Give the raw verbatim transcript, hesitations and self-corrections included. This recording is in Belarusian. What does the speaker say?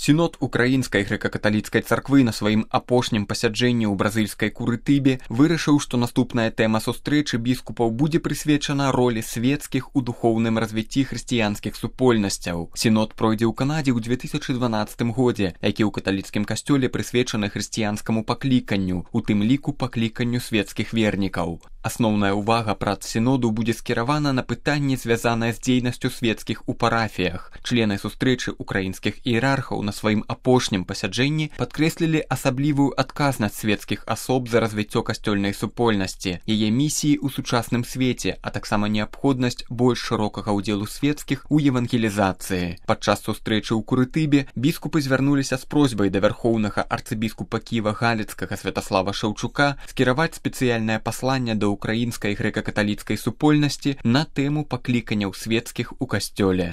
Сінод Украінскай грэка-каталіцкай царквы на сваім апошнім пасяджэнні ў бразыльскай Курытыбе вырашыў, што наступная тэма сустрэчы біскупаў будзе прысвечана ролі свецкіх у духоўным развіцці хрысціянскіх супольнасцяў. Сінод пройдзе ў Канадзе ў две тысячы дванаццатым годзе, які ў каталіцкім касцёле прысвечаны хрысціянскаму пакліканню, у тым ліку пакліканню свецкіх вернікаў. Асноўная ўвага прац сіноду будзе скіравана на пытанні, звязанае з дзейнасцю свецкіх у парафіях. Члены сустрэчы украінскіх іерархаў на сваім апошнім пасяджэнні падкрэслілі асаблівую адказнасць свецкіх асоб за развіццё касцёльнай супольнасці, яе місіі ў сучасным свеце, а таксама неабходнасць больш шырокага ўдзелу свецкіх у евангелізацыі. Падчас сустрэчы ў Курытыбе біскупы звярнуліся з просьбай да вярхоўнага арцыбіскупа Кіева-Галіцкага Святаслава Шаўчука скіраваць спецыяльнае пасланне да украінскай грэка-каталіцкай супольнасці на тэму пакліканняў свецкіх у касцёле.